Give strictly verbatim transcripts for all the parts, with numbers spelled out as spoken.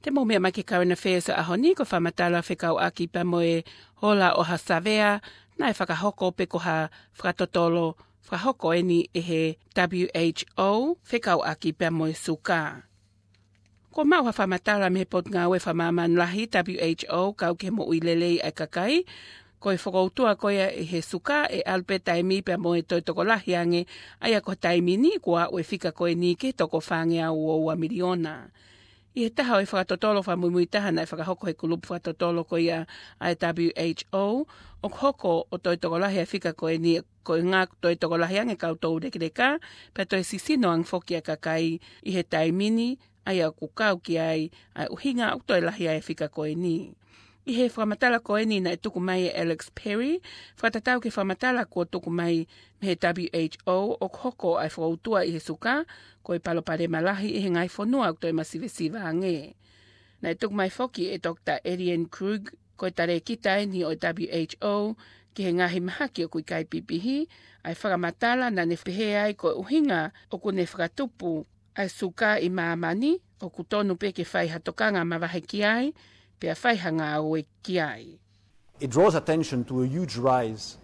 Te mou meʻa mai ki he current affairs ʻo e ʻaho ni, ko e fakamatala fekauʻaki pea mo e ola ʻo ha savea naʻe fakahoko pe ko ha fakatotolo fakahoko eni ʻe he W H O fekauʻaki pea mo e suka. Kuo maʻu ha fakamatala mei he Potungāue Fakamāmani Lahi, W H O, kau ki he moʻui lelei ʻa e kakai, ko e fokoutua ko ia ʻi he suka ʻe ʻalu pē taimi pea mo e toe tokolahi ange, ʻa ia ko e taimi ni kuo aʻu e fika ko eni ki he toko fāngeau ua miliona. ʻI he taha ʻo e fakatotolo fakamuimui taha naʻe fakahoko he kulupu fakatotolo ko ia ʻa e W H O, ʻoku hoko ʻo toe tokolahi ʻa e fika ko eni, ko e ngaahi toe tokolahi ange kau tou lekeleka, pea toe sisino ange foki ʻa e kakai ʻi he taimi ni, ʻa ia ʻoku kau ki ai ʻa e ʻuhinga ʻoku toe lahi ai e fika ko eni. ʻI he fakamatala ko eni naʻe tuku mai ʻe Alex Perry, fakatatau ki he fakamatala kuo tuku mai mei he W H O, ʻoku hoko ʻa e fokoutua ʻi he suka ko e palopalema lahi ʻi he ngaahi fonua ʻoku toe masivesiva ange. Naʻe tuku mai foki ʻe Doctor Eliane Krug, ko e talēkita eni ʻo e W H O, ki he ngaahi mahaki ʻoku ʻikai pipihi, ʻa e fakamatala naʻa ne pehē ai ko e ʻuhinga ʻoku ne fakatupu ʻa e suka ʻi māmani, ʻoku tonu pē ke fai ha tokanga mavahe ki ai, pea fai ha ngāue ki ai. It draws attention to a huge rise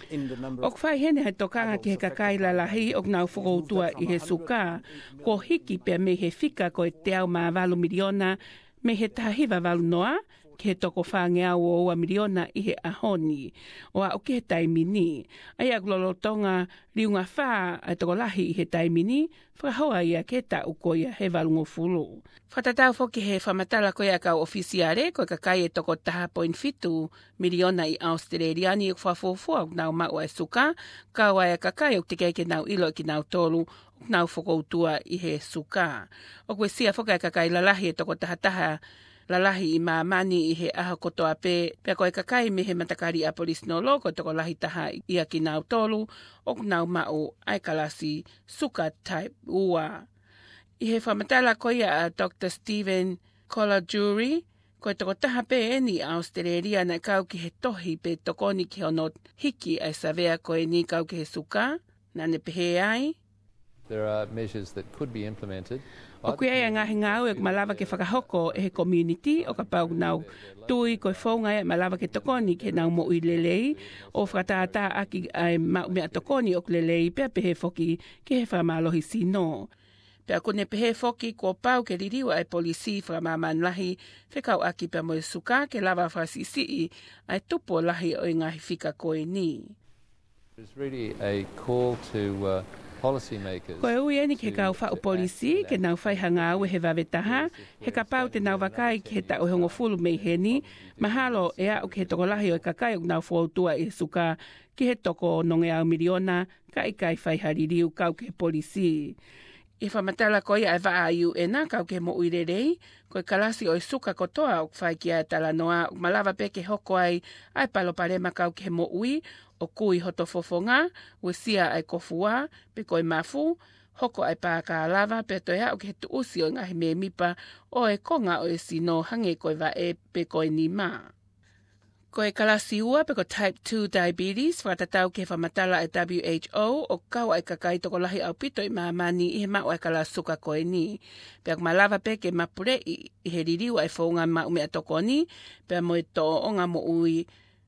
in the number of... ʻOku fai heni ha tokanga ki he kakai lalahi ʻoku nau fokoutua ʻi he suka, kuo hiki pea mei he fika ko e teau mā valu miliona mei he taha hiva valu noa ki he toko fāngeau ua miliona ʻi he ʻaho ni, ʻo aʻu ki he taimi ni. ʻA ia ʻoku lolotonga liunga fā ʻa e tokolahi ʻi he taimi ni, fakahoa ia ki he taʻu ko ia ʻe valungofulu. Fakatatau foki he fakamatala ko ia ʻa e kau ʻofisiale, ko e kakai ʻe toko taha poini fitu miliona ʻi ʻAositelēlia ni ʻoku fakafuofua ʻoku nau maʻu ʻa e suka, kau ai ʻa e kakai ʻoku teʻeki ai ke nau ʻilo ʻe kinautolu ʻoku nau fokoutua ʻi he suka. ʻOku uesia foki ʻa e kakai lalahi ʻe toko taha taha lalahi ʻi māmani ʻi he ʻaho kotoa pē, pea ko e kakai mei he matakali ʻAporisinolo ko e tokolahi taha ʻia kinautolu ʻoku nau maʻu ʻa e kalasi suka type ua. ʻI he fakamatala ko ia ʻa Doctor Stephen Colagiuri, ko e toko taha pē eni ʻAositelēlia naʻe kau ki he tohi pe tokoni ki hono hiki ʻa e savea ko eni kau ki he suka, naʻa ne pehē ai. There are measures that could be implemented. ʻOku ʻi ai ʻa e ngaahi ngāue ʻoku malava ke fakahoko ʻe he community ʻo kapau ʻoku nau tui ko e founga ia ʻe malava ke tokoni ki heʻenau moʻui lelei, ʻo fakatātā ʻaki ʻa e maʻu meʻatokoni ʻoku lelei pea pehē foki ki he fakamālohisino. Pea ʻoku ne pehē foki kuo pau ke liliu ʻa e polisi fakamāmani lahi fekauʻaki pea mo e suka ke lava fakasiʻisiʻi ʻa e tupu ʻo lahi ʻo e ngaahi fika ko eni. It's really a call to, uh, policymakers. Ko e ui eni ki he kau faʻu polisi ke nau fai ha ngāue he vave taha, he kapau te nau vakai ki he taʻu ʻe hongofulu mei heni, mahalo ʻe aʻu ki he tokolahi ʻo e kakai ʻoku nau fokoutua ʻi he suka ki he toko onongeau miliona, ka ʻikai fai ha liliu kau ki he polisi. ʻI he fakamatala ko ia ʻa e vaʻa ʻa e U N kau ki he moʻui lelei, ko e kalasi ʻo e suka kotoa ʻoku fai ki ai ʻa e talanoa, ʻoku malava pē ke hoko ai ʻa e palopalema kau ki he moʻui, ʻo kui hoto fofonga, uesia ʻa e kofua, pe ko e mafu, hoko ʻa e pākālava, pea toe aʻu ki he tuʻusi ʻo e ngaahi mēmipa ʻo e konga ʻo e sino hangē ko e vaʻe pe ko e nima. Ko e kalasi ua pe ko e type two diabetes, fakatatau ki he fakamatala ʻa e W H O, ʻoku kau ai ʻa e kakai tokolahi ʻaupito ʻi māmani ʻi he maʻu ʻa e kalasi suka ko eni. Pea ʻoku malava pē ke mapuleʻi ʻi he liliu ʻa e founga maʻu meʻatokoni, pea mo e tōʻonga moʻui,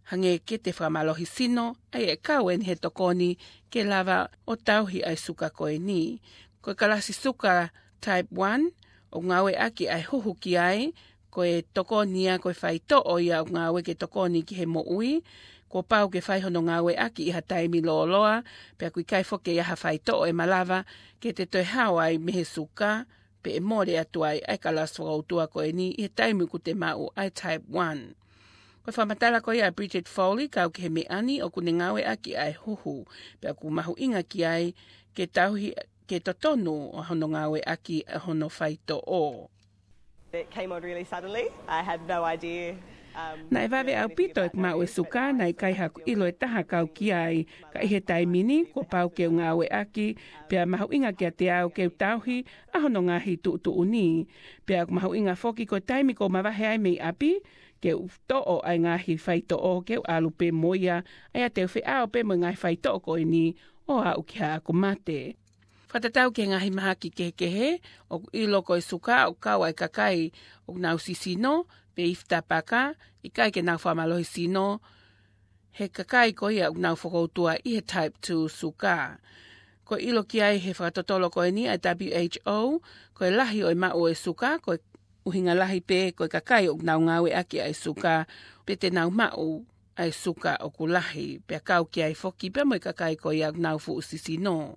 hangē ko e fakamālohisino, ʻa ia ʻe kau eni he tokoni ke lava ʻo tauhi ʻa e suka ko eni. Ko e kalasi suka type one, ʻoku ngāueʻaki ʻa e huhu ki ai, ko e tokoni ia ko e faitoʻo ia ʻoku ngāue ke tokoni ki he moʻui, kuo pau ke fai hono ngāueʻaki ʻi ha taimi lōloa, pea ʻoku ʻikai foki ke ʻi ai ha faitoʻo ʻe malava ke te toe hao ai mei he suka, pe ʻe mole atu ai ʻa e kalasi fokoutua ko eni ʻi he taimi ʻoku te maʻu ʻa e type one. Ko e fakamatala ko ia ʻa Bridget Foley kau ki he meʻa ni, ʻoku ne ngāueʻaki ʻa e huhu, pea ʻoku mahuʻinga ki ai ke tauhi ke totonu ʻa hono ngāueʻaki ʻa hono faitoʻo. It came on really suddenly. I had no idea, um, Naʻe vave ʻaupito ʻeku maʻu e suka, naʻe ʻikai haʻaku ʻilo ʻe taha kau ki ai, ka ʻi he taimi ni, kuo pau ke u ngāueʻaki, pea mahuʻinga kiate au ke u tauhi ʻa hono ngaahi tuʻutuʻuni. Pea ʻoku mahuʻinga foki ko e taimi ʻoku ou mavahe ai mei ʻapi, ke u toʻo ʻa e ngaahi faitoʻo ke u ʻalu pē mo ia, ʻa ia te u feʻao pē mo e ngaahi faitoʻo ko eni ʻo aʻu ki haʻaku mate. Fakatatau ki he ngaahi mahaki kehekehe, ʻoku ʻilo ko e suka ʻoku kau ai kakai ʻoku nau sisino, pe ifi tapaka, ʻikai ke nau fakamālohi sino, he kakai ko ia ʻoku nau fokoutua ʻi he type two suka. Ko e ʻilo ki ai he fakatotolo ko eni ʻa e W H O, ko e lahi ʻo e maʻu ʻo e suka, ko e ʻuhinga lahi pē ko e kakai ʻoku nau ngāueʻaki ʻa e suka, pe te nau maʻu ʻa e suka ʻoku lahi, pea kau ki ai foki pea mo e kakai ko ia ʻoku nau fuʻu sisino.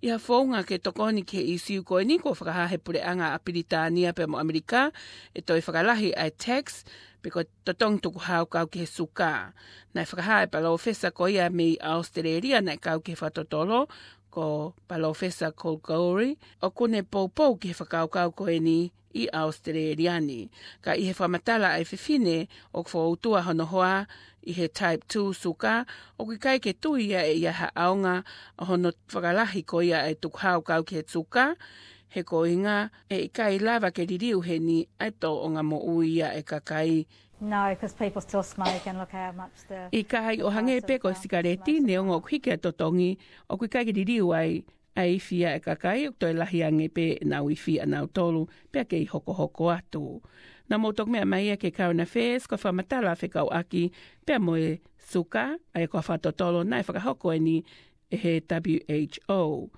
ʻI ha founga ke tokoni ki he ʻīsiu ko eni, kuo fakahā he puleʻanga ʻa Pilitānia pea mo ʻAmelika ʻe toe fakalahi ʻa e tax, pe ko e totongi tukuhau kau ki he suka. Naʻe fakahā ʻe he palōfesa ko ia mei ʻAositelēlia naʻe kau ki he fakatotolo, ko Palōfesa Colgouri, ʻoku ne poupou ki he fakakaukau ko eni ʻi ʻAositelēlia ni. Ka ʻi he fakamatala ʻa e fefine ʻoku fokoutua hono hoa ʻi he type two suka, ʻoku ʻikai ke tui ia ʻe ʻi ai ha ʻaonga ʻo hono fakalahi ko ia ʻa e tukuhau kau ki he suka, he ko e ʻuhinga ʻe ʻikai lava ke liliu heni ʻa e tōʻonga moʻui ʻa e kakai. No, 'cause people still smoke and look how much the ʻIkai, ʻo hangē pē ko e sikaleti, neongo ʻoku hiki ʻa e totongi, ʻoku ʻikai ke liliu ai ʻa e ifi ʻa e kakai, ʻoku toe lahi ange pē ʻenau ifi ʻanautolu, pea kei hokohoko atu. Naʻa mou toki meʻa mai ia ki he Current Affairs, ko e fakamatala fekauʻaki pea mo e suka, ʻa ia ko e fakatotolo naʻe fakahoko eni ʻe he W H O.